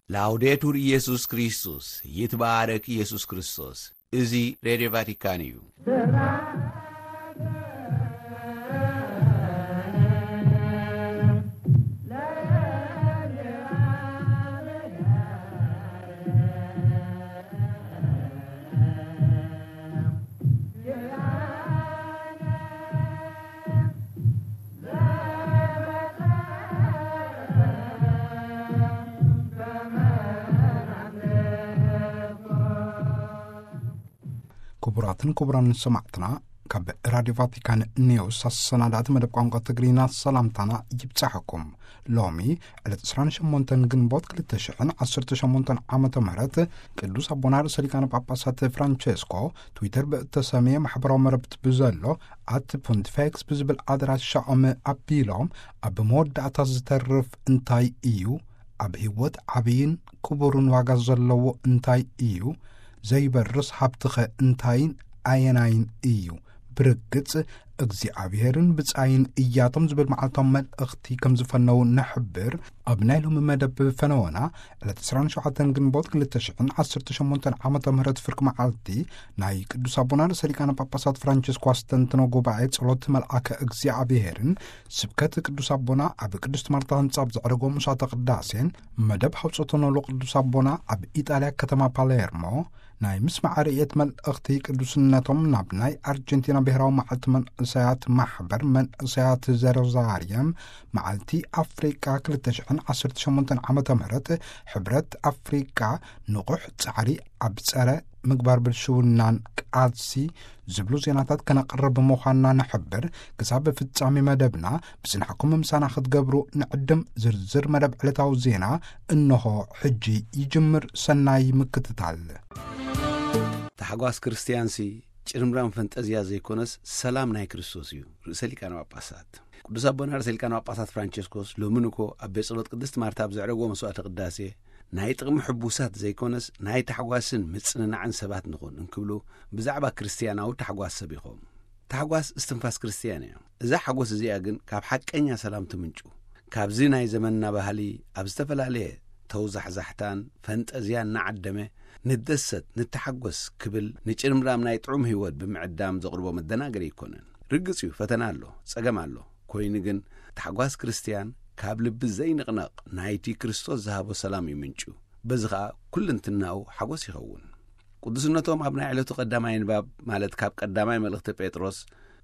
ላውዴቱር ኢየሱስ ክርስቶስ፣ ይትባረክ ኢየሱስ ክርስቶስ። እዚ ሬድዮ ቫቲካን እዩ። ክቡራትን ክቡራን ሰማዕትና፣ ካብ ራዲዮ ቫቲካን ኒውስ ኣሰናዳእቲ መደብ ቋንቋ ትግርኛ ሰላምታና ይብጻሕኩም። ሎሚ ዕለት ዕስራን ሸሞንተን ግንቦት ክልተ ሽሕን ዓሰርተ ሸሞንተን ዓመተ ምህረት ቅዱስ ኣቦና ርእሰ ሊቃነ ጳጳሳት ፍራንቸስኮ ትዊተር ብእተሰምየ ማሕበራዊ መረብት ብዘሎ ኣት ፖንቲፌክስ ብዝብል ኣድራሻኦም ኣቢሎም፣ ኣብ መወዳእታ ዝተርፍ እንታይ እዩ? ኣብ ህይወት ዓብይን ክቡርን ዋጋ ዘለዎ እንታይ እዩ? ዘይበርስ ሃብትኸ እንታይን ኣየናይን እዩ? ብርግጽ እግዚኣብሔርን ብጻይን እያቶም ዝብል መዓልታዊ መልእኽቲ ከም ዝፈነው ንሕብር። ኣብ ናይ ሎሚ መደብ ፈነወና ዕለት ዕስራን ሸውዓተን ግንቦት ክልተ ሽሕን ዓሰርተ ሸሞንተን ዓመተ ምህረት ፍርቂ መዓልቲ ናይ ቅዱስ ኣቦና ርእሰ ሊቃነ ጳጳሳት ፍራንቸስኮ ኣስተንትኖ ጉባኤ ጸሎት መልኣከ እግዚኣብሔርን ስብከት ቅዱስ ኣቦና ኣብ ቅድስት ማርታ ህንጻ ኣብ ዘዕረጎ ምሳተ ቅዳሴን መደብ ሃውጾተ ኖሎ ቅዱስ ኣቦና ኣብ ኢጣልያ ከተማ ፓሌርሞ ናይ ምስማዕ ርእየት መልእኽቲ ቅዱስነቶም ናብ ናይ ኣርጀንቲና ብሔራዊ መዓልቲ መንእሰያት ማሕበር መንእሰያት ዘሮዛርየም መዓልቲ ኣፍሪቃ ክልተ ሽሕን ዓሰርተ ሸሞንተን ዓመተ ምህረት ሕብረት ኣፍሪቃ ንቑሕ ጻዕሪ ኣብ ጸረ ምግባር ብልሽውናን ቃልሲ ዝብሉ ዜናታት ከነቕርብ ምዃንና ንሕብር። ክሳብ ፍጻሜ መደብና ብጽንሓኩም ምሳና ክትገብሩ ንዕድም። ዝርዝር መደብ ዕለታዊ ዜና እንሆ ሕጂ ይጅምር። ሰናይ ምክትታል። ታሕጓስ ክርስትያንሲ ጭርምራም ፈንጠዝያ ዘይኮነስ ሰላም ናይ ክርስቶስ እዩ። ርእሰ ሊቃነ ጳጳሳት ቅዱስ ኣቦና ርእሰ ሊቃነ ጳጳሳት ፍራንቸስኮስ ሎሚ ንኮ ኣብ ቤት ጸሎት ቅድስት ማርታ ኣብ ዘዕረግዎ መስዋዕተ ቅዳሴ ናይ ጥቕሚ ሕቡሳት ዘይኮነስ ናይ ታሕጓስን ምጽንናዕን ሰባት ንኹን እንክብሉ ብዛዕባ ክርስትያናዊ ታሕጓስ ሰቢኾም። ታሕጓስ እስትንፋስ ክርስትያን እያ። እዛ ሓጎስ እዚኣ ግን ካብ ሓቀኛ ሰላም ትምንጩ። ካብዚ ናይ ዘመንና ባህሊ ኣብ ዝተፈላለየ ተውዛሕዛሕታን ፈንጠዝያን እናዓደመ ንደሰት፣ ንተሓጎስ ክብል ንጭርምራም ናይ ጥዑም ህይወት ብምዕዳም ዘቕርቦ መደናገሪ ኣይኮነን። ርግጽ እዩ፣ ፈተና ኣሎ፣ ጸገም ኣሎ። ኮይኑ ግን ታሕጓስ ክርስትያን ካብ ልቢ ዘይንቕነቕ ናይቲ ክርስቶስ ዝሃቦ ሰላም እዩ ምንጩ። በዚ ኸኣ ኩልንትናኡ ሓጎስ ይኸውን። ቅዱስነቶም ኣብ ናይ ዕለቱ ቀዳማይ ንባብ፣ ማለት ካብ ቀዳማይ መልእኽቲ ጴጥሮስ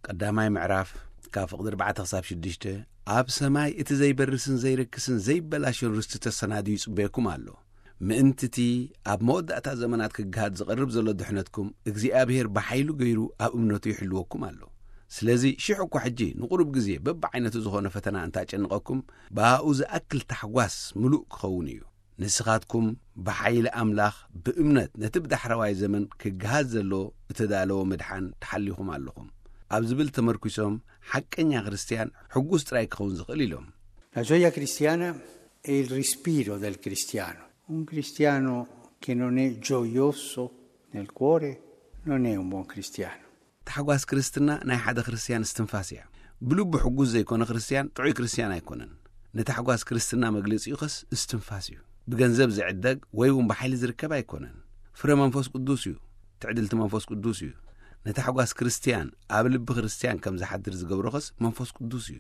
ቀዳማይ ምዕራፍ ካብ ፍቕዲ ኣርባዕተ ክሳብ ሽዱሽተ፣ ኣብ ሰማይ እቲ ዘይበርስን ዘይረክስን ዘይበላሾን ርስቲ ተሰናድዩ ይጽበየኩም ኣሎ። ምእንቲ እቲ ኣብ መወዳእታ ዘመናት ክገሃድ ዝቐርብ ዘሎ ድሕነትኩም እግዚኣብሔር ብሓይሉ ገይሩ ኣብ እምነቱ ይሕልወኩም ኣሎ። ስለዚ ሽሕ እኳ ሕጂ ንቑሩብ ግዜ በብዓይነቱ ዝኾነ ፈተና እንታጨንቐኩም፣ ብኣኡ ዝኣክል ታሕጓስ ምሉእ ክኸውን እዩ። ንስኻትኩም ብሓይሊ ኣምላኽ ብእምነት ነቲ ብዳሕረዋይ ዘመን ክገሃድ ዘሎ እተዳለወ ምድሓን ተሓሊኹም ኣለኹም ኣብ ዝብል ተመርኲሶም፣ ሓቀኛ ክርስትያን ሕጉስ ጥራይ ክኸውን ዝኽእል ኢሎም። La gioia cristiana è il respiro del cristiano. Un cristiano che non è gioioso nel cuore non è un buon cristiano. ታሕጓስ ክርስትና ናይ ሓደ ክርስትያን እስትንፋስ እያ። ብልቡ ሕጉስ ዘይኮነ ክርስትያን ጥዑይ ክርስትያን ኣይኮነን። ንታሕጓስ ክርስትና መግለጺኡኸስ እስትንፋስ እዩ። ብገንዘብ ዝዕደግ ወይ እውን ብሓይሊ ዝርከብ ኣይኮነን። ፍረ መንፈስ ቅዱስ እዩ። ትዕድልቲ መንፈስ ቅዱስ እዩ። ንታሕጓስ ክርስትያን ኣብ ልቢ ክርስትያን ከም ዝሓድር ዝገብሮኸስ መንፈስ ቅዱስ እዩ።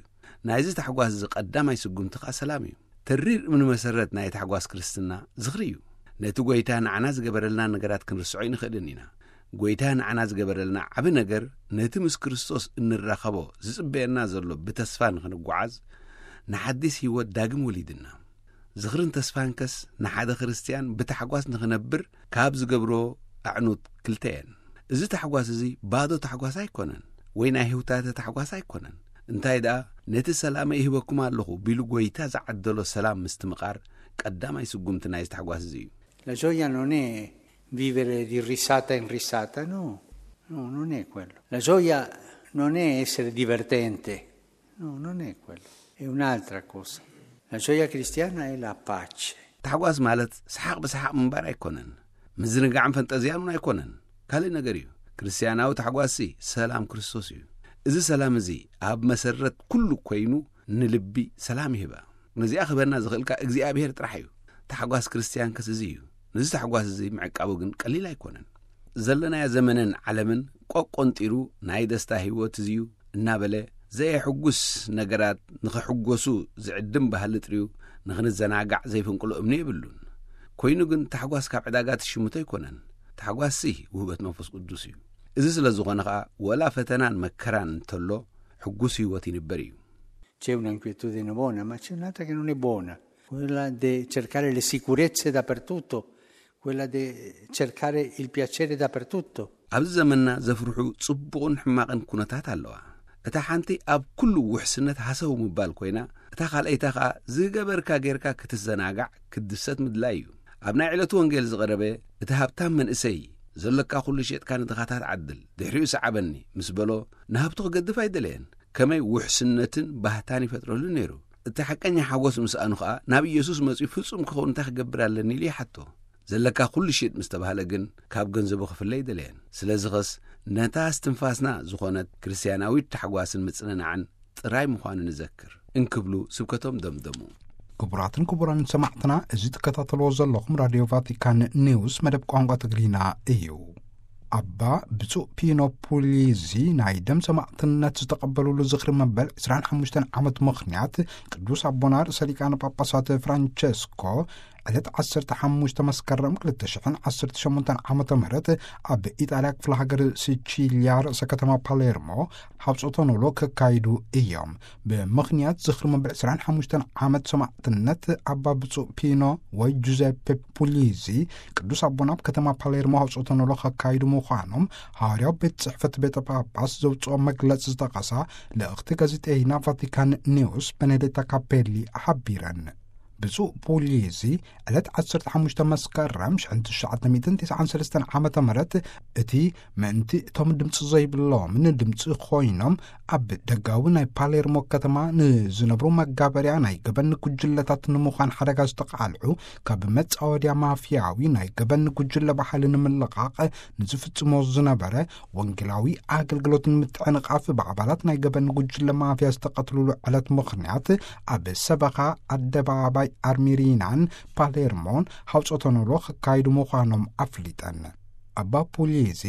ናይዚ ታሕጓስ እዚ ቀዳማይ ስጉምቲ ኸኣ ሰላም እዩ። ተሪር እምኒ መሰረት ናይ ታሕጓስ ክርስትና ዝኽሪ እዩ። ነቲ ጐይታ ንዓና ዝገበረልና ነገራት ክንርስዖ ኣይንኽእልን ኢና። ጐይታ ንዓና ዝገበረልና ዓቢ ነገር፣ ነቲ ምስ ክርስቶስ እንራኸቦ ዝጽበየና ዘሎ ብተስፋ ንኽንጓዓዝ፣ ንሓዲስ ህይወት ዳግም ወሊድና። ዝኽርን ተስፋንከስ ንሓደ ክርስትያን ብታሕጓስ ንኽነብር ካብ ዝገብሮ ኣዕኑት ክልተ እየን። እዚ ታሕጓስ እዚ ባዶ ታሕጓስ ኣይኮነን፣ ወይ ናይ ህውታተ ታሕጓስ ኣይኮነን። እንታይ ደኣ፣ ነቲ ሰላመ ይህበኩም ኣለኹ ቢሉ ጐይታ ዝዓደሎ ሰላም ምስትምቓር ቀዳማይ ስጉምቲ ናይዚ ታሕጓስ እዚ እዩ። La gioia non è vivere di risata in risata, no, no, non è quello. La gioia non è essere divertente, no, non è quello. È un'altra cosa. La gioia cristiana è la pace. ታሕጓስ ማለት ሰሓቕ ብሰሓቕ ምንባር ኣይኮነን። ምዝንጋዕን ፈንጠዝያን እውን ኣይኮነን። ካልእ ነገር እዩ። ክርስትያናዊ ታሕጓስሲ ሰላም ክርስቶስ እዩ። እዚ ሰላም እዚ ኣብ መሰረት ኩሉ ኮይኑ ንልቢ ሰላም ይህባ። ነዚኣ ክህበና ዝኽእልካ እግዚኣብሔር ጥራሕ እዩ። ታሕጓስ ክርስትያን ከስዚ እዩ። ነዚ ታሕጓስ እዚ ምዕቃቡ ግን ቀሊል ኣይኮነን። ዘለናዮ ዘመንን ዓለምን ቆቆንጢሩ ናይ ደስታ ህይወት እዚዩ እናበለ ዘየሕጉስ ነገራት ንኽሕጎሱ ዝዕድም ባህሊ ጥርዩ ንኽንዘናጋዕ ዘይፍንቅሎ እምኒ የብሉን። ኮይኑ ግን ታሕጓስ ካብ ዕዳጋ ትሽምቶ ኣይኮነን። ታሕጓስሲ ውህበት መንፈስ ቅዱስ እዩ። እዚ ስለ ዝኾነ ኸኣ ወላ ፈተናን መከራን እንተሎ ሕጉስ ህይወት ይንበር እዩ። C'è un'inquietudine buona, ma c'è un'altra che non è buona, quella di cercare le sicurezze dappertutto, quella di cercare il piacere dappertutto. ኣብዚ ዘመንና ዘፍርሑ ጽቡቕን ሕማቕን ኩነታት ኣለዋ። እታ ሓንቲ ኣብ ኩሉ ውሕስነት ሃሰው ምባል ኮይና፣ እታ ካልኣይታ ኸኣ ዝገበርካ ጌርካ ክትዘናጋዕ ክትድሰት ምድላይ እዩ። ኣብ ናይ ዕለቱ ወንጌል ዝቐረበ እቲ ሃብታም መንእሰይ ዘለካ ኩሉ ሸጥካ ንድኻታት ዓድል፣ ድሕሪኡ ሰዓበኒ ምስ በሎ ንሃብቱ ክገድፍ ኣይደለየን። ከመይ ውሕስነትን ባህታን ይፈጥረሉ ነይሩ። እቲ ሓቀኛ ሓጎስ ምስኣኑ ኸኣ ናብ ኢየሱስ መጺኡ ፍጹም ክኸውን እንታይ ክገብር ኣለኒ ኢሉ ይሓቶ። ዘለካ ኩሉ ሽጥ ምስ ተባህለ ግን ካብ ገንዘቡ ክፍለ ኣይደለየን። ስለዚ ኸስ ነታ እስትንፋስና ዝኾነት ክርስትያናዊት ታሕጓስን ምጽንናዕን ጥራይ ምዃኑ ንዘክር እንክብሉ ስብከቶም ደምደሙ። ክቡራትን ክቡራን ሰማዕትና፣ እዚ ትከታተልዎ ዘለኹም ራድዮ ቫቲካን ኒውስ መደብ ቋንቋ ትግርኛ እዩ። ኣባ ብፁዕ ፒኖ ፑሊዚ ናይ ደም ሰማዕትነት ዝተቐበሉሉ ዝኽሪ መበል ዕስራን ሓሙሽተን ዓመት ምኽንያት ቅዱስ ኣቦና ርእሰ ሊቃነ ጳጳሳት ፍራንቸስኮ ዕለት ዓሰርተ ሓሙሽተ መስከረም ክልተ ሽሕን ዓሰርተ ሸሞንተን ዓመተ ምህረት ኣብ ኢጣልያ ክፍለ ሃገር ሲቺልያ ርእሰ ከተማ ፓሌርሞ ሃብጾተ ኖሎ ከካይዱ እዮም። ብምኽንያት ዝኽሪ መበል ዕስራን ሓሙሽተን ዓመት ሰማዕትነት ኣባ ብፁዕ ፒኖ ወይ ጁዘፔ ፑሊዚ ቅዱስ ኣቦና ኣብ ከተማ ፓሌርሞ ሃብጾተ ኖሎ ከካይዱ ምዃኖም ሃዋርያዊ ቤት ጽሕፈት ቤተ ጳጳስ ዘውጽኦ መግለጺ ዝጠቐሳ ልእኽቲ ጋዜጠይና ቫቲካን ኒውስ በኔዴታ ካፔሊ ሓቢረን። ብፁዕ ፑሊዚ ዕለት ዓሰርተ ሓሙሽተ መስከረም ሽሕን ትሽዓተ ሚእትን ተስዓን ሰለስተን ዓመተ ምህረት እቲ ምእንቲ እቶም ድምፂ ዘይብሎምን ድምፂ ኮይኖም ኣብ ደጋዊ ናይ ፓሌርሞ ከተማ ንዝነብሩ መጋበርያ ናይ ገበን ጉጅለታት ንምዃን ሓደጋ ዝተቃልዑ ካብ መጻወድያ ማፍያዊ ናይ ገበን ጉጅለ ባሕሊ ንምልቓቕ ንዝፍጽሞ ዝነበረ ወንጌላዊ ኣገልግሎት ንምትዕንቓፍ ብኣባላት ናይ ገበን ጉጅለ ማፍያ ዝተቐትሉሉ ዕለት ምኽንያት ኣብ ሰበኻ ኣደባባይ ኣርሚሪናን ፓሌርሞን ሃውጾተ ኖሎ ክካይዱ ምዃኖም ኣፍሊጠን። ኣባ ፑሊዚ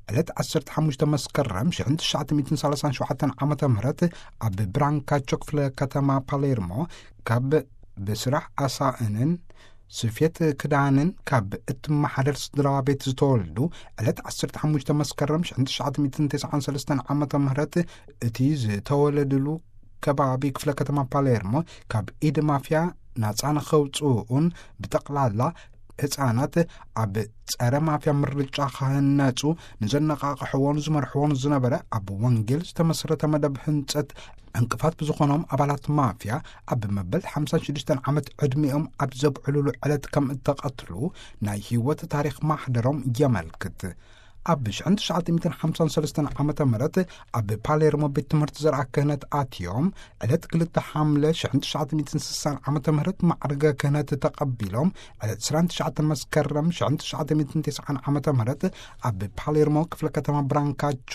ዕለት ዓሰርተ ሓሙሽተ መስከረም ሽሕን ትሽዓተ ሚእትን ሰላሳን ሸውዓተን ዓመተ ምህረት ኣብ ብራንካቾ ክፍለ ከተማ ፓሌርሞ ካብ ብስራሕ ኣሳእንን ስፌት ክዳንን ካብ እትመሓደር ስድራ ቤት ዝተወልዱ ዕለት ዓሰርተ ሓሙሽተ መስከረም ሽሕን ትሽዓተ ሚእትን ተስዓን ሰለስተን ዓመተ ምህረት እቲ ዝተወለድሉ ከባቢ ክፍለ ከተማ ፓሌርሞ ካብ ኢድ ማፍያ ናጻ ንኸውፅኡን ብጠቕላላ ህፃናት ኣብ ጸረ ማፍያ ምርጫ ክህነጹ ንዘነቓቕሕዎን ዝመርሕዎን ዝነበረ ኣብ ወንጌል ዝተመስረተ መደብ ህንጸት ዕንቅፋት ብዝኾኖም ኣባላት ማፍያ ኣብ መበል ሓምሳን ሽዱሽተን ዓመት ዕድሚኦም ኣብ ዘብዕሉሉ ዕለት ከም እተቐትሉ ናይ ህይወት ታሪኽ ማሕደሮም የመልክት። ኣብ ሽሕን ትሽዓተ ሚእትን ሓምሳን ሰለስተን ዓመተ ምህረት ኣብ ፓሌርሞ ቤት ትምህርቲ ዘርኣ ክህነት ኣትዮም ዕለት ክልተ ሓምለ ሽሕን ትሽዓተ ሚእትን ስሳን ዓመተ ምህረት ማዕርገ ክህነት ተቐቢሎም ዕለት ዕስራን ትሽዓተ መስከረም ሽሕን ትሽዓተ ሚእትን ተስዓን ዓመተ ምህረት ኣብ ፓሌርሞ ክፍለ ከተማ ብራንካቾ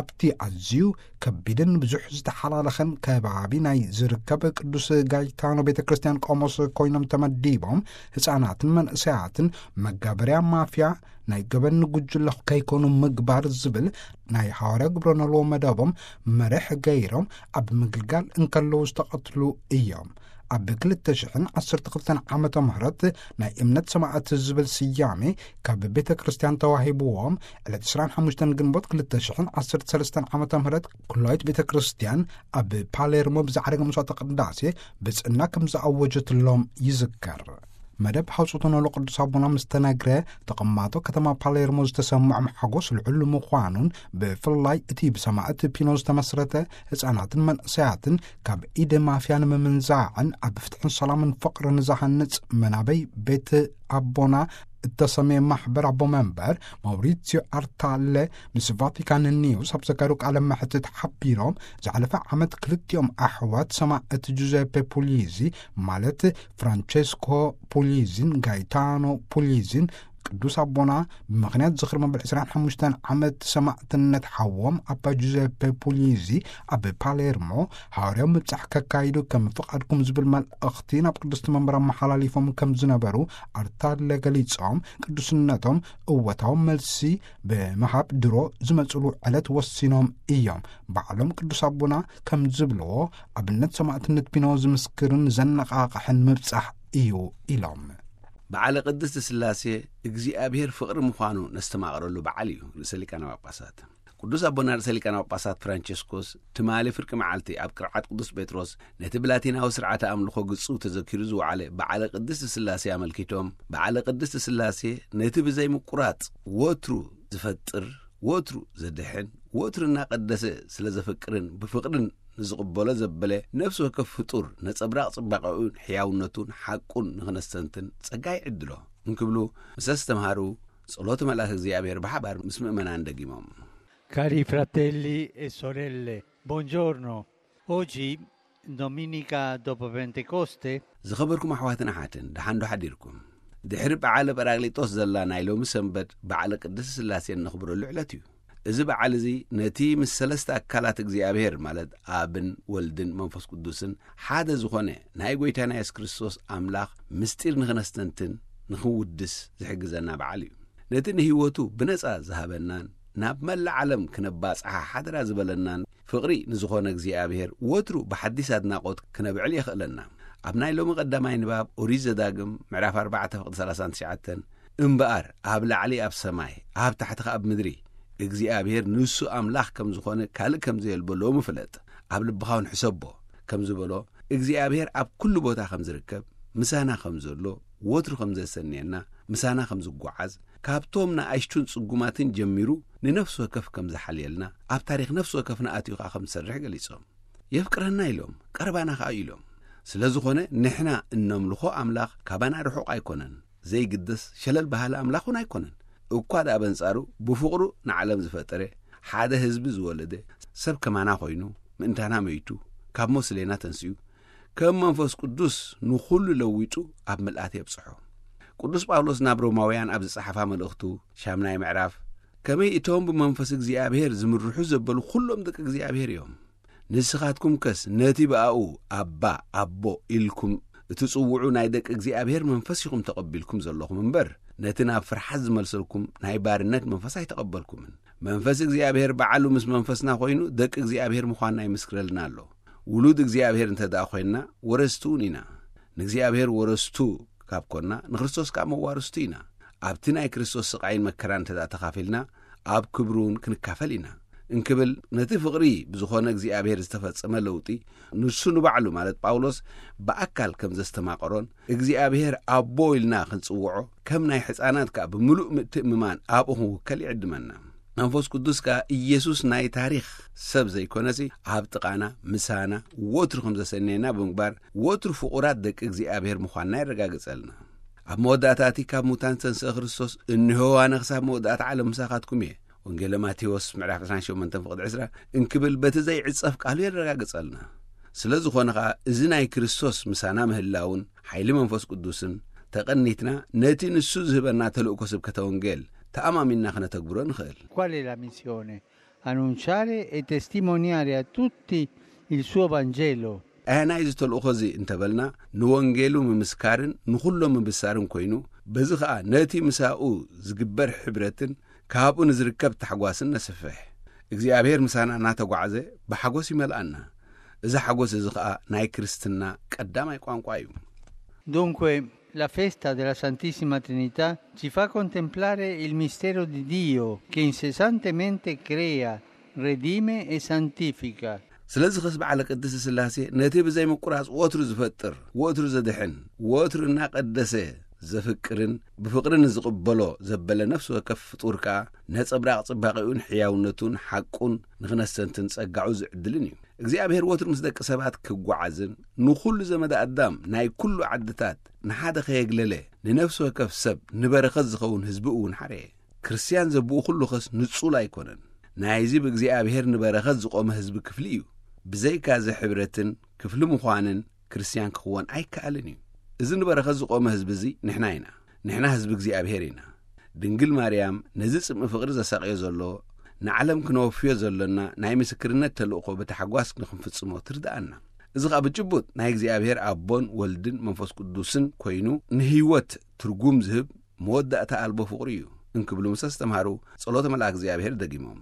ኣብቲ ኣዝዩ ከቢድን ብዙሕ ዝተሓላለኸን ከባቢ ናይ ዝርከብ ቅዱስ ጋይታኖ ቤተ ክርስቲያን ቆሞስ ኮይኖም ተመዲቦም ህፃናትን መንእሰያትን መጋበርያ ማፍያ ናይ ገበን ጉጅለ ከይኮኑ ምግባር ዝብል ናይ ሃዋርያ ግብረ ኖልዎ መደቦም መርሕ ገይሮም ኣብ ምግልጋል እንከለዉ ዝተቐትሉ እዮም። ኣብ ክልተ ሽሕን ዓሰርተ ክልተን ዓመተ ምህረት ናይ እምነት ሰማዕት ዝብል ስያሜ ካብ ቤተ ክርስቲያን ተዋሂብዎም ዕለት ዕስራን ሓሙሽተን ግንቦት ክልተ ሽሕን ዓሰርተ ሰለስተን ዓመተ ምህረት ኩላዊት ቤተ ክርስቲያን ኣብ ፓሌርሞ ብዛዕረገ መስዋዕተ ቅዳሴ ብጽና ከም ዝኣወጀትሎም ይዝከር። መደብ ሃውጾተ ኖሎ ቅዱስ ኣቦና ምስ ተነግረ ተቐማጦ ከተማ ፓሌርሞ ዝተሰምዖም ሓጎስ ልዑል ምዃኑን ብፍላይ እቲ ብሰማዕት ፒኖ ዝተመስረተ ህፃናትን መንእሰያትን ካብ ኢድ ማፍያ ንምምንዛዕን ኣብ ፍትሕን ሰላምን ፍቕርን ዝሃንጽ መናበይ ቤት ኣቦና እተሰመየ ማሕበር ኣቦ መንበር ማውሪሲዮ ኣርታለ ምስ ቫቲካን ኒውስ ኣብ ዘካየዱ ቃለ መሕትት ሓቢሮም ዝሓለፈ ዓመት ክልቲኦም ኣሕዋት ሰማዕት ጁዘፔ ፑሊዚ ማለት ፍራንቸስኮ ፑሊዚን ጋይታኖ ፑሊዚን ቅዱስ ኣቦና ብምኽንያት ዝኽሪ መበል ዕስራን ሓሙሽተን ዓመት ሰማዕትነት ሓዎም ኣባ ጁዘፔ ፑሊዚ ኣብ ፓሌርሞ ሃዋርያዊ ምብጻሕ ከካይዱ ከም ፍቓድኩም ዝብል መልእኽቲ ናብ ቅድስቲ መንበር ኣመሓላሊፎም ከም ዝነበሩ ኣርታለ ገሊጾም፣ ቅዱስነቶም እወታዊ መልሲ ብምሃብ ድሮ ዝመጽሉ ዕለት ወሲኖም እዮም። ባዕሎም ቅዱስ ኣቦና ከም ዝብልዎ፣ ኣብነት ሰማዕትነት ፒኖ ዝምስክርን ዘነቓቕሕን ምብጻሕ እዩ ኢሎም። በዓለ ቅድስት ስላሴ እግዚኣብሔር ፍቕሪ ምዃኑ ነስተማቕረሉ በዓል እዩ። ርእሰ ሊቃነ ጳጳሳት ቅዱስ ኣቦና ርእሰ ሊቃነ ጳጳሳት ፍራንቸስኮስ ትማሊ ፍርቂ መዓልቲ ኣብ ቅርዓት ቅዱስ ጴጥሮስ ነቲ ብላቲናዊ ስርዓተ ኣምልኾ ግጹ ተዘኪሩ ዝወዓለ በዓለ ቅድስት ስላሴ ኣመልኪቶም፣ በዓለ ቅድስት ስላሴ ነቲ ብዘይ ምቁራጽ ወትሩ ዝፈጥር፣ ወትሩ ዘድሕን፣ ወትሩ እናቐደሰ ስለ ዘፍቅርን ብፍቕርን ንዝቕበሎ ዘበለ ነፍሲ ወከፍ ፍጡር ነጸብራቕ ጽባቐኡን ሕያውነቱን ሓቁን ንኽነስተንትን ጸጋ ይዕድሎ እንክብሉ ምስ ኣስተምሃሩ፣ ጸሎት መልኣክ እግዚኣብሔር ብሓባር ምስ ምእመናን ደጊሞም። Cari fratelli e sorelle, buongiorno. Oggi, domenica dopo Pentecoste, ዝኸበርኩም ኣሕዋትን ኣሓትን፣ ደሓን ዶ ሓዲርኩም? ድሕሪ በዓለ ጳራቅሊጦስ ዘላ ናይ ሎሚ ሰንበት በዓለ ቅድስት ስላሴ እነኽብረሉ ዕለት እዩ። እዚ በዓል እዚ ነቲ ምስ ሰለስተ ኣካላት እግዚኣብሔር፣ ማለት ኣብን ወልድን መንፈስ ቅዱስን ሓደ ዝኾነ ናይ ጎይታና የሱስ ክርስቶስ ኣምላኽ ምስጢር ንኽነስተንትን ንኽንውድስ ዝሕግዘና በዓል እዩ። ነቲ ንህይወቱ ብነጻ ዝሃበናን ናብ መላእ ዓለም ክነባጽሓ ሓደራ ዝበለናን ፍቕሪ ንዝኾነ እግዚኣብሔር ወትሩ ብሓዲስ ኣድናቖት ክነብዕል የኽእለና። ኣብ ናይ ሎሚ ቀዳማይ ንባብ ኦሪት ዘዳግም ምዕራፍ ኣርባዕተ ፍቕዲ ሰላሳን ትሽዓተን፣ እምበኣር ኣብ ላዕሊ ኣብ ሰማይ፣ ኣብ ታሕቲ ኸኣ ኣብ ምድሪ እግዚኣብሔር ንሱ ኣምላኽ ከም ዝኾነ ካልእ ከም ዘየልቦ ሎሚ ፍለጥ፣ ኣብ ልብኻ እውን ሕሰቦ ከም ዝበሎ፣ እግዚኣብሔር ኣብ ኩሉ ቦታ ከም ዝርከብ፣ ምሳና ከም ዘሎ፣ ወትሩ ከም ዘሰንየና፣ ምሳና ከም ዝጓዓዝ፣ ካብቶም ንኣሽቱን ጽጉማትን ጀሚሩ ንነፍሲ ወከፍ ከም ዝሓልየልና፣ ኣብ ታሪኽ ነፍሲ ወከፍና ኣትዩ ኸኣ ከም ዝሰርሕ ገሊጾም። የፍቅረና ኢሎም፣ ቀረባና ኸኣ ኢሎም። ስለ ዝኾነ ንሕና እነምልኾ ኣምላኽ ካባና ርሑቕ ኣይኮነን፣ ዘይግደስ ሸለል በሃሊ ኣምላኽ እውን ኣይኮነን። እኳ ደኣ በንጻሩ ብፍቕሩ ንዓለም ዝፈጠረ፣ ሓደ ህዝቢ ዝወለደ፣ ሰብ ከማና ኮይኑ፣ ምእንታና መይቱ፣ ካብ ሞት ስሌና ተንሲኡ፣ ከም መንፈስ ቅዱስ ንኹሉ ለዊጡ ኣብ ምልኣት የብጽሖ። ቅዱስ ጳውሎስ ናብ ሮማውያን ኣብ ዝጸሓፋ መልእኽቱ፣ ሻምናይ ምዕራፍ፣ ከመይ እቶም ብመንፈስ እግዚኣብሔር ዝምርሑ ዘበሉ ኩሎም ደቂ እግዚኣብሔር እዮም። ንስኻትኩም ከስ ነቲ ብኣኡ ኣባ፣ ኣቦ ኢልኩም እትጽውዑ ናይ ደቂ እግዚኣብሔር መንፈስ ኢኹም ተቐቢልኩም ዘለኹም እምበር፣ ነቲ ናብ ፍርሓት ዝመልሰልኩም ናይ ባርነት መንፈስ ኣይተቐበልኩምን። መንፈስ እግዚኣብሔር ባዕሉ ምስ መንፈስና ኮይኑ ደቂ እግዚኣብሔር ምዃንና ይምስክረልና ኣሎ። ውሉድ እግዚኣብሔር እንተ ደኣ ኮይንና ወረስቲ እውን ኢና። ንእግዚኣብሔር ወረስቱ ካብ ኮንና ንክርስቶስ ከኣ መዋርስቱ ኢና። ኣብቲ ናይ ክርስቶስ ስቓይን መከራን እንተ ደኣ ተኻፊልና ኣብ ክብሩ እውን ክንካፈል ኢና። እንክብል ነቲ ፍቕሪ ብዝኾነ እግዚኣብሔር ዝተፈጸመ ለውጢ ንሱ ንባዕሉ ማለት ጳውሎስ ብኣካል ከም ዘስተማቐሮን እግዚኣብሔር ኣቦ ኢልና ክንጽውዖ ከም ናይ ሕፃናት ከኣ ብምሉእ ምትእምማን ኣብኡ ክንውከል ይዕድመና። መንፈስ ቅዱስ ከኣ ኢየሱስ ናይ ታሪኽ ሰብ ዘይኮነሲ ኣብ ጥቓና ምሳና ወትሩ ከም ዘሰነየና ብምግባር ወትሩ ፍቑራት ደቂ እግዚኣብሔር ምዃንና የረጋግጸልና። ኣብ መወዳእታ እቲ ካብ ሙታን ዝተንስአ ክርስቶስ እንሆ ኣነ ክሳብ መወዳእታ ዓለም ምሳኻትኩም እየ ወንጌለ ማቴዎስ ምዕራፍ ዕስራን ሸሞንተን ፍቕዲ ዕስራ እንክብል በቲ ዘይዕጸፍ ቃሉ የረጋግጸልና። ስለ ዝኾነ ኸኣ እዚ ናይ ክርስቶስ ምሳና ምህላውን ሓይሊ መንፈስ ቅዱስን ተቐኒትና ነቲ ንሱ ዝህበና ተልእኮ ስብከተ ወንጌል ተኣማሚንና ክነተግብሮ ንኽእል። Qual è la missione? Annunciare e testimoniare a tutti il suo Vangelo. ኣየናይ እዚ ተልእኾ እዚ እንተበልና ንወንጌሉ ምምስካርን ንኹሎም ምብሳርን ኮይኑ በዚ ኸኣ ነቲ ምሳኡ ዝግበር ሕብረትን ካብኡ ንዝርከብ ታሕጓስን ነስፍሕ። እግዚኣብሔር ምሳና እናተጓዕዘ ብሓጎስ ይመልኣና። እዚ ሓጎስ እዚ ኸኣ ናይ ክርስትና ቀዳማይ ቋንቋ እዩ። Dunque, la festa della Santissima Trinità ci fa contemplare il mistero di Dio che incessantemente crea, redime e santifica. ስለዚ ኸስ በዓለ ቅድስቲ ስላሴ ነቲ ብዘይ ምቁራጽ ወትሩ ዝፈጥር፣ ወትሩ ዘድሕን፣ ወትሩ እናቀደሰ ዘፍቅርን ብፍቅሪ ንዝቕበሎ ዘበለ ነፍሲ ወከፍ ፍጡር ከኣ ነጸብራቕ ጽባቐኡን ሕያውነቱን ሓቁን ንኽነስተንትን ጸጋዑ ዝዕድልን እዩ። እግዚኣብሔር ወትሩ ምስ ደቂ ሰባት ክጓዓዝን ንኹሉ ዘመደ ኣዳም ናይ ኩሉ ዓድታት ንሓደ ከየግለለ ንነፍሲ ወከፍ ሰብ ንበረኸት ዝኸውን ህዝቢ እውን ሓረየ። ክርስትያን ዘብኡ ኩሉ ኸስ ንጹል ኣይኮነን። ናይዚ ብእግዚኣብሔር ንበረኸት ዝቖመ ህዝቢ ክፍሊ እዩ። ብዘይካ እዚ ሕብረትን ክፍሊ ምዃንን ክርስትያን ክኽወን ኣይከኣልን እዩ። እዚ ንበረኸት ዝቖመ ህዝቢ እዚ ንሕና ኢና። ንሕና ህዝቢ እግዚኣብሔር ኢና። ድንግል ማርያም ነዚ ጽምኢ ፍቕሪ ዘሳቕዮ ዘሎ ንዓለም ክነወፍዮ ዘሎና ናይ ምስክርነት ተልእኾ ብታሕጓስ ንኽንፍጽሞ ትርድኣና። እዚ ኸኣ ብጭቡጥ ናይ እግዚኣብሔር ኣቦን ወልድን መንፈስ ቅዱስን ኮይኑ ንህይወት ትርጉም ዝህብ መወዳእታ ኣልቦ ፍቕሪ እዩ እንክብሉ ምስ ኣስተምሃሩ ጸሎተ መልኣክ እግዚኣብሔር ደጊሞም።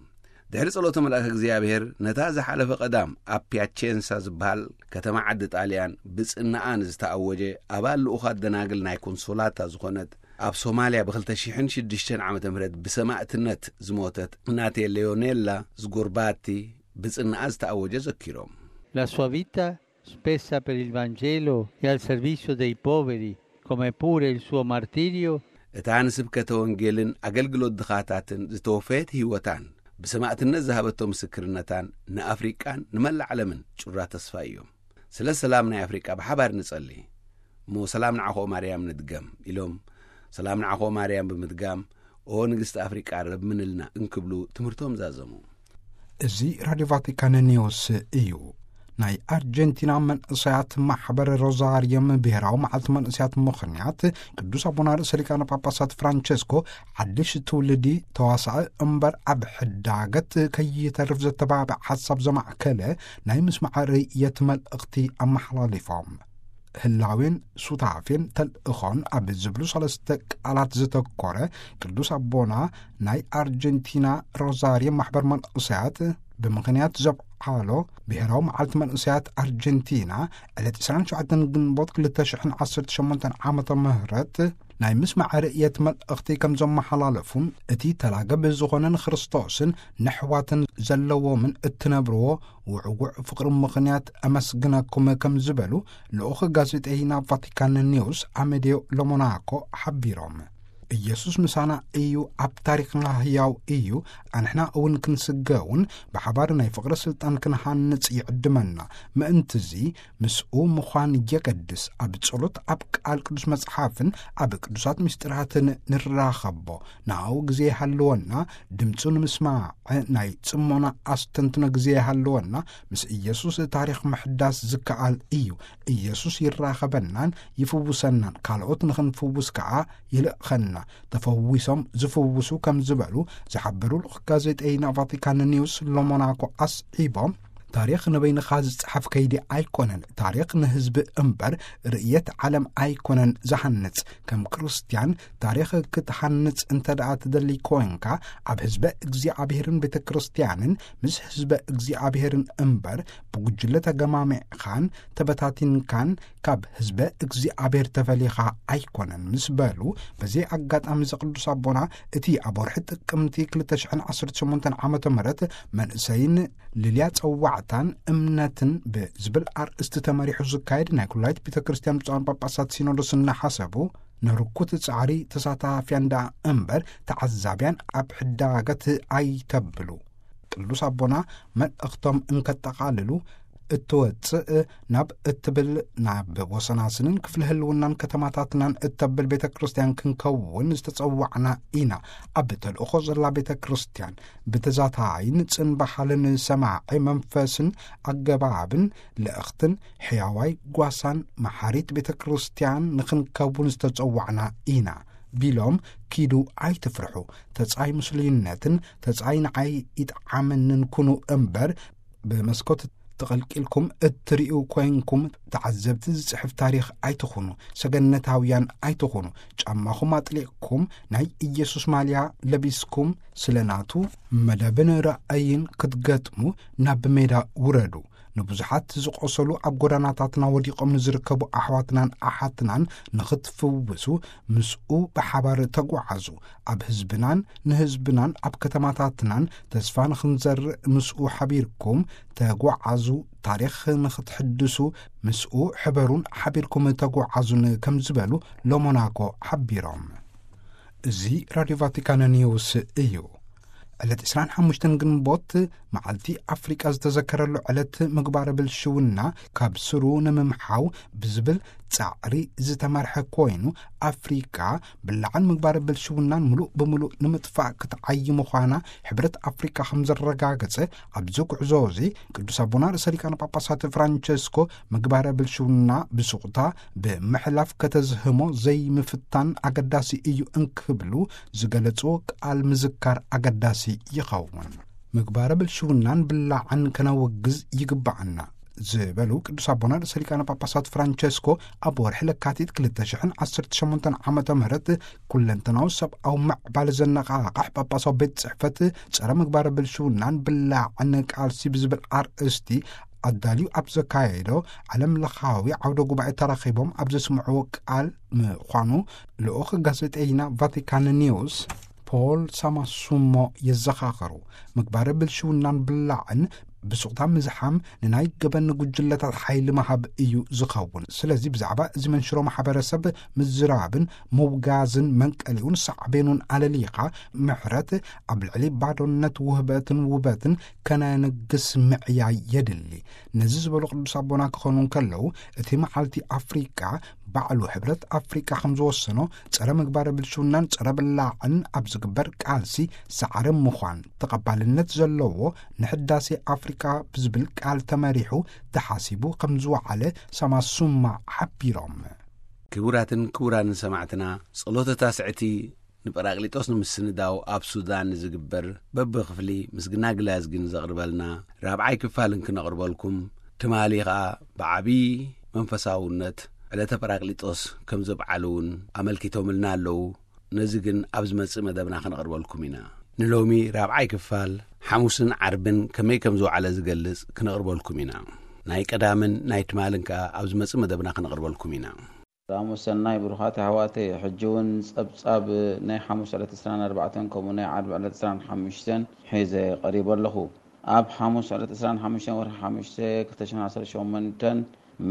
ድሕሪ ጸሎተ መልኣክ እግዚኣብሔር ነታ ዝሓለፈ ቀዳም ኣብ ፒያቼንሳ ዝበሃል ከተማ ዓዲ ጣልያን ብጽናኣ ንዝተኣወጀ ኣባል ልኡኻት ደናግል ናይ ኮንሶላታ ዝኾነት ኣብ ሶማልያ ብ2006 ዓመተ ምህረት ብሰማእትነት ዝሞተት እናቴ ሌዮኔላ ዝጎርባቲ ብጽናኣ ዝተኣወጀ ዘኪሮም። La sua vita, spesa per il Vangelo e al servizio dei poveri, come pure il suo martirio, እታ ንስብከተ ወንጌልን ኣገልግሎት ድኻታትን ዝተወፈየት ህይወታን ብሰማእትነት ዝሃበቶ ምስክርነታን ንኣፍሪቃን ንመላእ ዓለምን ጩራ ተስፋ እዮም። ስለ ሰላም ናይ ኣፍሪቃ ብሓባር ንጸሊ። እሞ ሰላም ንዓኾ ማርያም ንድገም ኢሎም ሰላም ንዓኾ ማርያም ብምድጋም ኦ ንግስቲ ኣፍሪቃ ረብምንልና እንክብሉ ትምህርቶም ዛዘሙ። እዚ ራድዮ ቫቲካን ኒውስ እዩ። ናይ ኣርጀንቲና መንእሰያት ማሕበር ሮዛርየም ብሔራዊ መዓልቲ መንእሰያት ምኽንያት ቅዱስ ኣቦና ርእሰ ሊቃነ ጳጳሳት ፍራንቸስኮ ሓድሽ ትውልዲ ተዋሳኢ እምበር ኣብ ሕዳገት ከይተርፍ ዘተባብዕ ሓሳብ ዘማዕከለ ናይ ምስማዕ ርእየት መልእኽቲ ኣመሓላሊፎም። ህላዌን ሱታፌን ተልእኾን ኣብ ዝብሉ ሰለስተ ቃላት ዘተኮረ ቅዱስ ኣቦና ናይ ኣርጀንቲና ሮዛርየም ማሕበር መንእሰያት ብምኽንያት ዘብዓሎ ብሔራዊ መዓልቲ መንእሰያት ኣርጀንቲና ዕለት 27 ግንቦት 2018 ዓመተ ምህረት ናይ ምስማዕ ርእየት መልእኽቲ ከም ዘመሓላለፉን እቲ ተላገብ ዝኾነ ንክርስቶስን ነሕዋትን ዘለዎምን እትነብርዎ ውዕውዕ ፍቕሪ ምኽንያት ኣመስግነኩም ከም ዝበሉ ልኡኽ ጋዜጠይና ቫቲካን ኒውስ ኣሜዲዮ ሎሞናኮ ሓቢሮም። ኢየሱስ ምሳና እዩ፣ ኣብ ታሪኽና ህያው እዩ። ኣንሕና እውን ክንስገውን ብሓባር ናይ ፍቕሪ ስልጣን ክንሃንጽ ይዕድመና። ምእንትዚ ምስኡ ምዃን የገድስ። ኣብ ጸሎት፣ ኣብ ቃል ቅዱስ መጽሓፍን ኣብ ቅዱሳት ምስጢራትን ንራኸቦ። ንኣኡ ግዜ ይሃልወና፣ ድምፁ ንምስማዕ ናይ ጽሞና ኣስተንትኖ ግዜ ይሃልወና። ምስ ኢየሱስ ታሪኽ ምሕዳስ ዝከኣል እዩ። ኢየሱስ ይራኸበናን ይፍውሰናን፣ ካልኦት ንኽንፍውስ ከኣ ይልእኸና። ተፈዊሶም ዝፍውሱ ከም ዝበሉ ዝሓበሩ ልኡኽ ጋዜጠይና ቫቲካን ኒውስ ሎሞናኮ ኣስዒቦም፣ ታሪኽ ንበይንኻ ዝጸሓፍ ከይዲ ኣይኮነን። ታሪኽ ንህዝቢ እምበር ርእየት ዓለም ኣይኮነን ዝሃንጽ። ከም ክርስትያን ታሪኽ ክትሃንጽ እንተ ደኣ ትደሊ ኮንካ፣ ኣብ ህዝበ እግዚኣብሔርን ቤተ ክርስትያንን ምስ ህዝበ እግዚኣብሔርን እምበር ብጉጅለ ተገማሚዕኻን ተበታቲንካን ካብ ህዝበ እግዚኣብሔር ተፈሊኻ ኣይኮነን ምስ በሉ፣ በዚ ኣጋጣሚ እዚ ቅዱስ ኣቦና እቲ ኣብ ወርሒ ጥቅምቲ 2018 ዓመተ ምህረት መንእሰይን ልልያ ጸዋዕታን እምነትን ብዝብል ኣርእስቲ ተመሪሑ ዝካየድ ናይ ኩላይት ቤተ ክርስቲያን ብፁዓን ጳጳሳት ሲኖዶስ እናሓሰቡ፣ ንርኩት ጻዕሪ ተሳታፍያን ደኣ እምበር ተዓዛብያን ኣብ ሕዳገት ኣይተብሉ። ቅዱስ ኣቦና መልእኽቶም እንከጠቓልሉ፣ እትወጽእ ናብ እትብል ናብ ወሰናስንን ክፍሊ ህልውናን ከተማታትናን እተብል ቤተ ክርስቲያን ክንከውን ዝተጸዋዕና ኢና። ኣብ ተልእኾ ዘላ ቤተ ክርስቲያን ብተዛታይን ጽንባሓልን ሰማዒ መንፈስን ኣገባብን ልእኽትን ሕያዋይ ጓሳን መሓሪት ቤተ ክርስቲያን ንኽንከውን ዝተጸዋዕና ኢና ቢሎም፣ ኪዱ ኣይትፍርሑ፣ ተጻይ ምስሉይነትን ተጻይ ንዓይ ይጥዓመንን ኩኑ እምበር፣ ብመስኮት ተቐልቂልኩም እትርእዩ ኮይንኩም ተዓዘብቲ ዝጽሕፍ ታሪኽ ኣይትኹኑ፣ ሰገነታውያን ኣይትኹኑ፣ ጫማኹም ኣጥሊቕኩም ናይ ኢየሱስ ማልያ ለቢስኩም ስለ ናቱ መደብን ራእይን ክትገጥሙ ናብ ሜዳ ውረዱ። ንብዙሓት ዝቖሰሉ ኣብ ጎዳናታትና ወዲቖም ንዝርከቡ ኣሕዋትናን ኣሓትናን ንኽትፍውሱ ምስኡ ብሓባር ተጓዓዙ። ኣብ ህዝብናን ንህዝብናን ኣብ ከተማታትናን ተስፋ ንኽንዘርእ ምስኡ ሓቢርኩም ተጓዓዙ። ታሪኽ ንኽትሕድሱ ምስኡ ሕበሩን ሓቢርኩም ተጓዓዙን ከም ዝበሉ ሎሞናኮ ሓቢሮም። እዚ ራድዮ ቫቲካን ኒውስ እዩ። ዕለት 25 ግንቦት መዓልቲ ኣፍሪቃ ዝተዘከረሉ ዕለት ምግባረ ብልሽውና ካብ ስሩ ንምምሓው ብዝብል ጻዕሪ ዝተመርሐ ኮይኑ፣ ኣፍሪካ ብላዕን ምግባር ብልሽውናን ምሉእ ብምሉእ ንምጥፋእ ክትዓይ ምዃና ሕብረት ኣፍሪካ ከም ዘረጋገጸ፣ ኣብዚ ጉዕዞ እዚ ቅዱስ ኣቦና ርእሰ ሊቃነ ጳጳሳት ፍራንቸስኮ ምግባረ ብልሽውና ብሱቕታ ብምሕላፍ ከተዝህሞ ዘይምፍታን ኣገዳሲ እዩ እንክብሉ ዝገለጹ ቃል ምዝካር ኣገዳሲ ይኸውን። ምግባረ ብልሽውናን ብላዕን ከነወግዝ ይግባኣና ዝበሉ ቅዱስ ኣቦና ርእሰ ሊቃነ ጳጳሳት ፍራንቸስኮ፣ ኣብ ወርሒ ለካቲት ክልተ ሽሕን ዓሰርተ ሸሞንተን ዓመተ ምህረት ኩለንተናዊ ሰብኣዊ ምዕባለ ዘነቓቕሕ ጳጳሳዊ ቤት ጽሕፈት ጸረ ምግባረ ብልሽውናን ብላዕን ቃልሲ ብዝብል ኣርእስቲ ኣዳልዩ ኣብ ዘካየዶ ዓለም ለኻዊ ዓውደ ጉባኤ ተራኺቦም ኣብ ዘስምዕዎ ቃል ምዃኑ ልኡኽ ጋዜጠይና ቫቲካን ኒውስ ፖል ሳማሱሞ የዘኻኸሩ። ምግባረ ብልሽውናን ብላዕን ብሱቕታ ምዝሓም ንናይ ገበን ጉጅለታት ሓይሊ ምሃብ እዩ ዝኸውን። ስለዚ ብዛዕባ እዚ መንሽሮ ማሕበረሰብ ምዝራብን ምውጋዝን መንቀሊኡን ሳዕቤኑን ኣለሊኻ ምሕረት ኣብ ልዕሊ ባዶነት ውህበትን ውበትን ከነንግስ ምዕያይ የድሊ። ነዚ ዝበሉ ቅዱስ ኣቦና ክኾኑ እንከለዉ፣ እቲ መዓልቲ ኣፍሪቃ ባዕሉ ሕብረት ኣፍሪቃ ከም ዝወሰኖ ጸረ ምግባረ ብልሽውናን ጸረ ብላዕን ኣብ ዝግበር ቃልሲ ሳዕሪ ምዃን ተቐባልነት ዘለዎ ንሕዳሴ ኣፍሪቃ ብዝብል ቃል ተመሪሑ ተሓሲቡ ከም ዝወዓለ ሳማሱማ ሓቢሮም። ክቡራትን ክቡራንን ሰማዕትና፣ ጸሎተ ታስዕቲ ንጳራቅሊጦስ ንምስንዳው ኣብ ሱዳን ንዝግበር በብክፍሊ ምስግና ግላዝጊ ንዘቕርበልና ራብዓይ ክፋል እንክነቕርበልኩም፣ ትማሊ ኸኣ ብዓብዪ መንፈሳውነት ዕለተ ጳራቅሊጦስ ከም ዘብዓሉ እውን ኣመልኪቶምልና ኣለዉ። ነዚ ግን ኣብ ዝመጽእ መደብና ክነቕርበልኩም ኢና። ንሎሚ ራብዓይ ክፋል ሓሙስን ዓርብን ከመይ ከም ዝወዓለ ዝገልጽ ክነቕርበልኩም ኢና። ናይ ቀዳምን ናይ ትማልን ከኣ ኣብ ዝመጽእ መደብና ክነቕርበልኩም ኢና። ሰላም ወሰናይ ብሩኻት ኣሕዋተይ፣ ሕጂ እውን ጸብጻብ ናይ ሓሙስ ዕለት ዕስራን ኣርባዕተን ከምኡ ናይ ዓርቢ ዕለት ዕስራን ሓሙሽተን ሒዘ ቀሪበ ኣለኹ። ኣብ ሓሙስ ዕለት ዕስራን ሓሙሽተን ወርሒ ሓሙሽተ ክልተ ሽሕን ዓሰርተ ሸሞንተን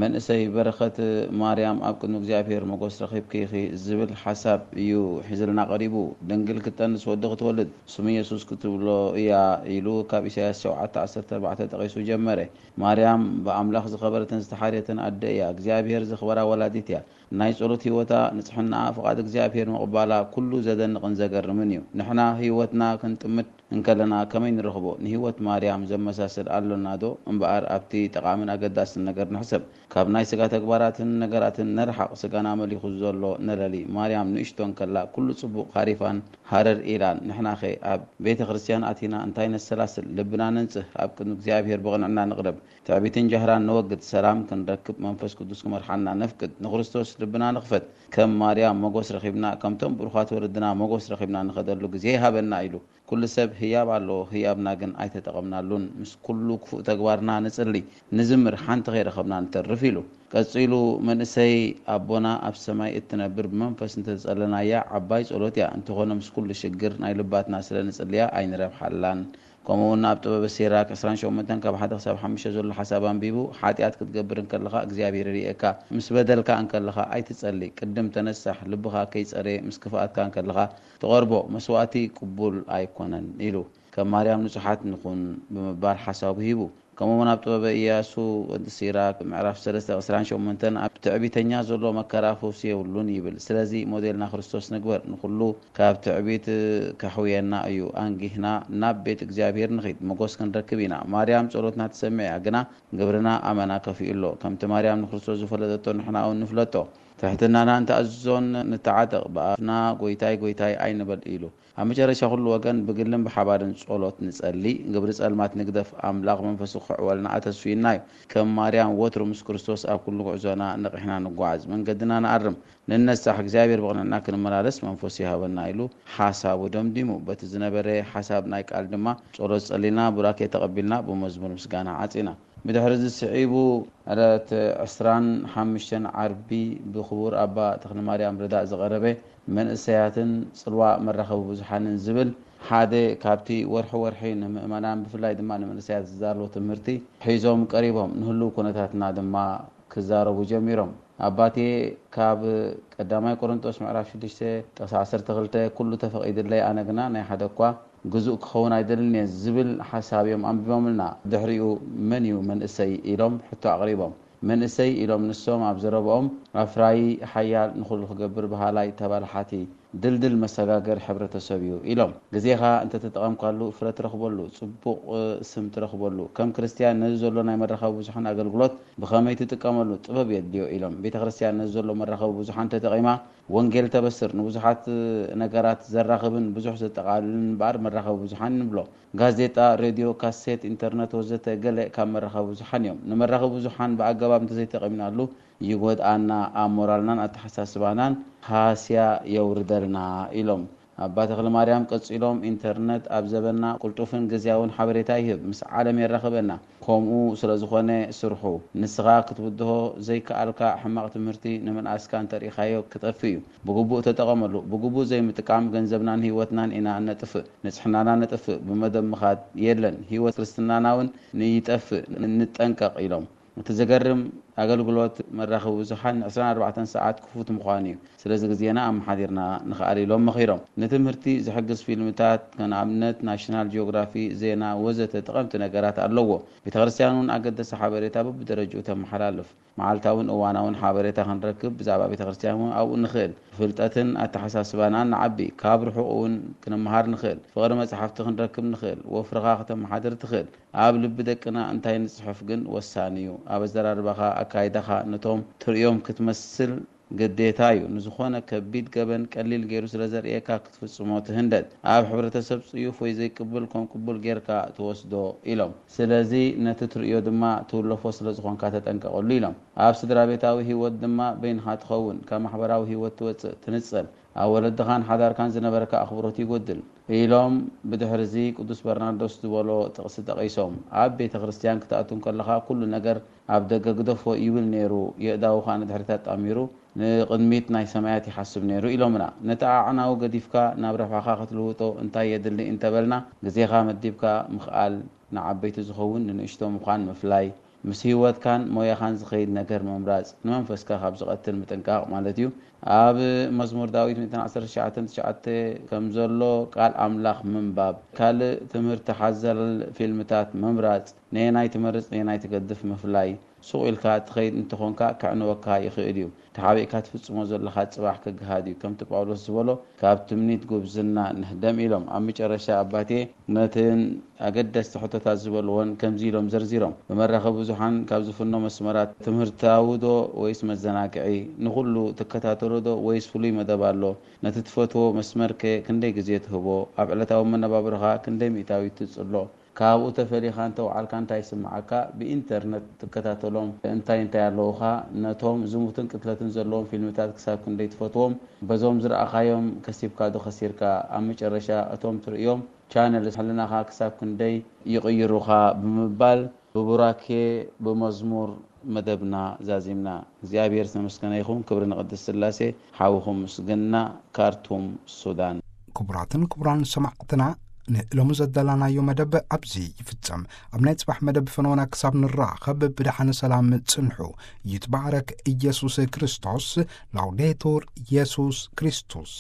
መንእሰይ በረኸት ማርያም ኣብ ቅድሚ እግዚኣብሔር መጎስ ረኺብኪ ኢኺ ዝብል ሓሳብ እዩ ሒዝልና ቀሪቡ። ድንግል ክትጠንስ ወዲ ክትወልድ ስሙ የሱስ ክትብሎ እያ ኢሉ ካብ ኢሳያስ ሸውዓተ ዓሰርተ ኣርባዕተ ጠቒሱ ጀመረ። ማርያም ብኣምላኽ ዝኸበረትን ዝተሓርየትን ኣደ እያ። እግዚኣብሔር ዘኽበራ ወላዲት እያ። ናይ ጸሎት ህይወታ፣ ንጽሕናኣ፣ ፍቓድ እግዚኣብሔር ምቕባላ ኩሉ ዘደንቕን ዘገርምን እዩ። ንሕና ህይወትና ክንጥምት እንከለና ከመይ ንረኽቦ? ንህይወት ማርያም ዘመሳስል ኣሎና ዶ? እምበኣር ኣብቲ ጠቓምን ኣገዳስን ነገር ንሕሰብ። ካብ ናይ ስጋ ተግባራትን ነገራትን ንርሓቕ። ስጋና መሊኹ ዘሎ ነለሊ። ማርያም ንእሽቶ እንከላ ኩሉ ጽቡቕ ሃሪፋን ሃረር ኢላን። ንሕናኸ ኣብ ቤተ ክርስቲያን ኣቲና እንታይ ነሰላስል? ልብና ነንጽህ፣ ኣብ ቅድሚ እግዚኣብሔር ብቕንዕና ንቕረብ። ትዕቢትን ጃህራን ነወግድ፣ ሰላም ክንረክብ መንፈስ ቅዱስ ክመርሓና ነፍቅድ። ንክርስቶስ ልብና ንኽፈት። ከም ማርያም መጎስ ረኺብና፣ ከምቶም ብሩኻት ወለድና መጎስ ረኺብና ንኸደሉ ግዜ ይሃበና ኢሉ። ኩሉ ሰብ ህያብ ኣለዎ፣ ህያብና ግን ኣይተጠቐምናሉን። ምስ ኩሉ ክፉእ ተግባርና ንጽሊ፣ ንዝምር፣ ሓንቲ ከይረኸብና ንተርፍ ኢሉ። ቀጺሉ መንእሰይ ኣቦና ኣብ ሰማይ እትነብር ብመንፈስ እንተጸለናያ ዓባይ ጸሎት እያ፣ እንተኾነ ምስ ኩሉ ሽግር ናይ ልባትና ስለ ንጽልያ ኣይንረብሓላን። ከምኡ እውን ኣብ ጥበበ ሲራክ ዕስራን ሸሞንተን ካብ ሓደ ክሳብ ሓሙሽተ ዘሎ ሓሳብ ኣንቢቡ፣ ሓጢኣት ክትገብር እንከለኻ እግዚኣብሔር ይርእየካ፣ ምስ በደልካ እንከለኻ ኣይትጸሊ፣ ቅድም ተነሳሕ፣ ልብኻ ከይጸረየ ምስ ክፍኣትካ እንከለኻ ትቐርቦ መስዋእቲ ቅቡል ኣይኮነን ኢሉ። ከም ማርያም ንጹሓት ንኹን ብምባል ሓሳቡ ሂቡ። ከምኡውን ኣብ ጥበበ ኢያሱ ወዲ ሲራክ ምዕራፍ ሰለስተ ዕስራን ሸሞንተን ኣብ ትዕቢተኛ ዘሎ መከራ ፈውሲ የብሉን ይብል። ስለዚ ሞዴልና ክርስቶስ ንግበር። ንኹሉ ካብ ትዕቢት ከሕውየና እዩ። ኣንጊህና ናብ ቤት እግዚኣብሔር ንኺድ፣ መጎስ ክንረክብ ኢና። ማርያም ጸሎትና ትሰምዕ እያ፣ ግና ግብርና ኣመና ከፊኡ ኣሎ። ከምቲ ማርያም ንክርስቶስ ዝፈለጠቶ ንሕና እውን ንፍለጦ። ትሕትናና ንተኣዝዞን ንተዓጠቕ። ብኣፍና "ጎይታይ፣ ጎይታይ" ኣይንበል ኢሉ። ኣብ መጨረሻ ኩሉ ወገን ብግልን ብሓባርን ጸሎት ንጸሊ፣ ግብሪ ጸልማት ንግደፍ፣ ኣምላኽ መንፈሱ ክሕወልና ኣተስፊና እዩ። ከም ማርያም ወትሩ ምስ ክርስቶስ ኣብ ኩሉ ጉዕዞና ነቒሕና ንጓዓዝ፣ መንገድና ንኣርም፣ ንነሳሕ፣ እግዚኣብሔር ብቕንዕና ክንመላለስ መንፈሱ ይሃበና ኢሉ ሓሳቡ ደምዲሙ። በቲ ዝነበረ ሓሳብ ናይ ቃል ድማ ጸሎት ጸሊና፣ ቡራኬ ተቐቢልና፣ ብመዝሙር ምስጋና ዓጺና። ብድሕሪ እዚ ስዒቡ ዕለት ዕስራን ሓሙሽተን ዓርቢ ብክቡር ኣባ ተኽለማርያም ረዳእ ዝቐረበ መንእሰያትን ጽልዋ መራኸቢ ብዙሓንን ዝብል ሓደ ካብቲ ወርሒ ወርሒ ንምእመናን ብፍላይ ድማ ንመንእሰያት ዝዛረቦ ትምህርቲ ሒዞም ቀሪቦም፣ ንህሉው ኩነታትና ድማ ክዛረቡ ጀሚሮም። ኣባቴ ካብ ቀዳማይ ቆሮንጦስ ምዕራፍ ሽዱሽተ ጥቕሲ ዓሰርተ ክልተ "ኩሉ ተፈቒዱለይ፣ ኣነ ግና ናይ ሓደ እኳ ግዙእ ክኸውን ኣይደልን እየ" ዝብል ሓሳብ እዮም ኣንቢቦምልና። ድሕሪኡ "መን እዩ መንእሰይ?" ኢሎም ሕቶ ኣቕሪቦም። መንእሰይ ኢሎም ንሶም ኣብ ዘረብኦም ኣፍራዪ፣ ሓያል፣ ንኹሉ ክገብር በሃላይ፣ ተባላሓቲ፣ ድልድል መሰጋገር ሕብረተሰብ እዩ ኢሎም። ግዜኻ እንተተጠቐምካሉ ፍረ ትረኽበሉ፣ ጽቡቕ ስም ትረኽበሉ። ከም ክርስትያን ነዚ ዘሎ ናይ መራኸቢ ብዙሓን ኣገልግሎት ብኸመይ ትጥቀመሉ ጥበብ የድልዮ ኢሎም። ቤተ ክርስትያን ነዚ ዘሎ መራኸቢ ብዙሓን ተጠቒማ ወንጌል ተበስር፣ ንብዙሓት ነገራት ዘራኽብን ብዙሕ ዘጠቓልልን እምበኣር መራኸቢ ብዙሓን ንብሎ። ጋዜጣ፣ ሬድዮ፣ ካሴት፣ ኢንተርነት ወዘተ ገለ ካብ መራኸቢ ብዙሓን እዮም። ንመራኸቢ ብዙሓን ብኣገባብ እንተዘይተጠቒምናሉ ይጎድኣና፣ ኣብ ሞራልናን ኣተሓሳስባናን ሃስያ የውርደልና ኢሎም። ኣባ ተኽለማርያም ቀጺሎም፣ ኢንተርነት ኣብ ዘበንና ቅልጡፍን ግዝያውን ሓበሬታ ይህብ፣ ምስ ዓለም የራኽበና። ከምኡ ስለ ዝኾነ ስርሑ። ንስኻ ክትብድሆ ዘይከኣልካ ሕማቕ ትምህርቲ ንምንኣስካ እንተርኢኻዮ ክጠፍእ እዩ። ብግቡእ ተጠቐመሉ። ብግቡእ ዘይምጥቃም ገንዘብናን ህይወትናን ኢና እነጥፍእ። ንጽሕናና ነጥፍእ። ብመደብ ምኻድ የለን። ህይወት ክርስትናና እውን ንይጠፍእ። ንጠንቀቕ ኢሎም። እቲ ዘገርም ኣገልግሎት መራኸቢ ብዙሓን ዕስራን ኣርባዕተን ሰዓት ክፉት ምዃኑ እዩ። ስለዚ ግዜና ኣመሓዲርና ንኽኣል ኢሎም መኺሮም። ንትምህርቲ ዝሕግዝ ፊልምታት፣ ከም ኣብነት ናሽናል ጂኦግራፊ፣ ዜና ወዘተ ጠቐምቲ ነገራት ኣለዎ። ቤተ ክርስትያን እውን ኣገደስቲ ሓበሬታ በብደረጅኡ ተመሓላልፍ። መዓልታውን እዋናውን ሓበሬታ ክንረክብ ብዛዕባ ቤተ ክርስትያን እውን ኣብኡ ንኽእል። ፍልጠትን ኣተሓሳስባናን ንዓቢ። ካብ ርሑቕ እውን ክንመሃር ንኽእል። ፍቕሪ መጽሓፍቲ ክንረክብ ንኽእል። ወፍርኻ ከተመሓድር ትኽእል። ኣብ ልቢ ደቅና እንታይ ንጽሕፍ ግን ወሳኒ እዩ። ኣብ ኣዘራርባኻ፣ ኣካይዳኻ ነቶም ትርእዮም ክትመስል ግዴታ እዩ። ንዝኾነ ከቢድ ገበን ቀሊል ገይሩ ስለ ዘርእየካ ክትፍጽሞ ትህንደድ። ኣብ ሕብረተሰብ ጽዩፍ ወይ ዘይቅብል ከም ቅቡል ጌርካ ትወስዶ ኢሎም። ስለዚ ነቲ ትርእዮ ድማ ትውለፎ ስለ ዝኾንካ ተጠንቀቐሉ ኢሎም። ኣብ ስድራ ቤታዊ ህይወት ድማ በይንኻ ትኸውን፣ ካብ ማሕበራዊ ህይወት ትወጽእ፣ ትንጸል። ኣብ ወለድኻን ሓዳርካን ዝነበረካ ኣኽብሮት ይጎድል ኢሎም ብድሕርዚ ቅዱስ በርናርዶስ ዝበሎ ጥቕሲ ጠቒሶም። ኣብ ቤተ ክርስትያን ክትኣቱ እንከለኻ ኩሉ ነገር ኣብ ደገ ግደፎ ይብል ነይሩ፣ የእዳዉ ኸኣ ንድሕሪት ኣጣሚሩ ንቕድሚት ናይ ሰማያት ይሓስብ ነይሩ ኢሎምና። ነቲ ኣዕናዊ ገዲፍካ ናብ ረብሓኻ ክትልውጦ እንታይ የድሊ እንተበልና፣ ግዜኻ መዲብካ ምኽኣል፣ ንዓበይቲ ዝኸውን ንንእሽቶ ምዃን ምፍላይ፣ ምስ ህይወትካን ሞያኻን ዝኸይድ ነገር ምምራጽ፣ ንመንፈስካ ካብ ዝቐትል ምጥንቃቕ ማለት እዩ። ኣብ መዝሙር ዳዊት ሚእትን ዓሰርተ ትሽዓተ ትሽዓተ ከም ዘሎ ቃል ኣምላኽ ምንባብ፣ ካልእ ትምህርቲ ሓዘል ፊልምታት ምምራጽ፣ ነየናይ ትመርጽ ነየናይ ትገድፍ ምፍላይ፣ ሱቕ ኢልካ ትኸይድ እንተኾንካ ከዕንወካ ይኽእል እዩ። ተሓቢእካ ትፍጽሞ ዘለኻ ጽባሕ ክግሃድ እዩ። ከምቲ ጳውሎስ ዝበሎ ካብ ትምኒት ጉብዝና ንህደም ኢሎም። ኣብ መጨረሻ ኣባቴ ነትን ኣገደስቲ ሕቶታት ዝበልዎን ከምዚ ኢሎም ዘርዚሮም። ብመራኸቢ ብዙሓን ካብ ዝፍኖ መስመራት ትምህርታዊ ዶ ወይስ መዘናግዒ? ንኹሉ ትከታተሎ ዶ ወይስ ፍሉይ መደብ ኣሎ? ነቲ ትፈትዎ መስመርከ ክንደይ ግዜ ትህቦ? ኣብ ዕለታዊ መነባብሮኻ ክንደይ ሚእታዊት ትጽሎ? ካብኡ ተፈሊኻ እንተወዓልካ እንታይ ይስምዓካ? ብኢንተርነት ትከታተሎም እንታይ እንታይ ኣለዉኻ? ነቶም ዝሙትን ቅትለትን ዘለዎም ፊልምታት ክሳብ ክንደይ ትፈትዎም? በዞም ዝረኣኻዮም ከሲብካ ዶ ከሲርካ? ኣብ መጨረሻ እቶም ትርእዮም ቻነል ሕልናኻ ክሳብ ክንደይ ይቕይሩኻ? ብምባል ብቡራኬ ብመዝሙር መደብና ዛዚምና። እግዚኣብሔር ዝተመስገነ ይኹን። ክብሪ ንቅድስት ስላሴ። ሓውኹም ምስግና፣ ካርቱም፣ ሱዳን። ክቡራትን ክቡራን ሰማዕትና፣ ንሎሚ ዘዳላናዮ መደብ ኣብዚ ይፍጸም። ኣብ ናይ ጽባሕ መደብ ፈነወና ክሳብ ንራኸብ ብደሓን ሰላም ጽንሑ። ይትባረክ ኢየሱስ ክርስቶስ። ላውዴቱር ኢየሱስ ክርስቶስ።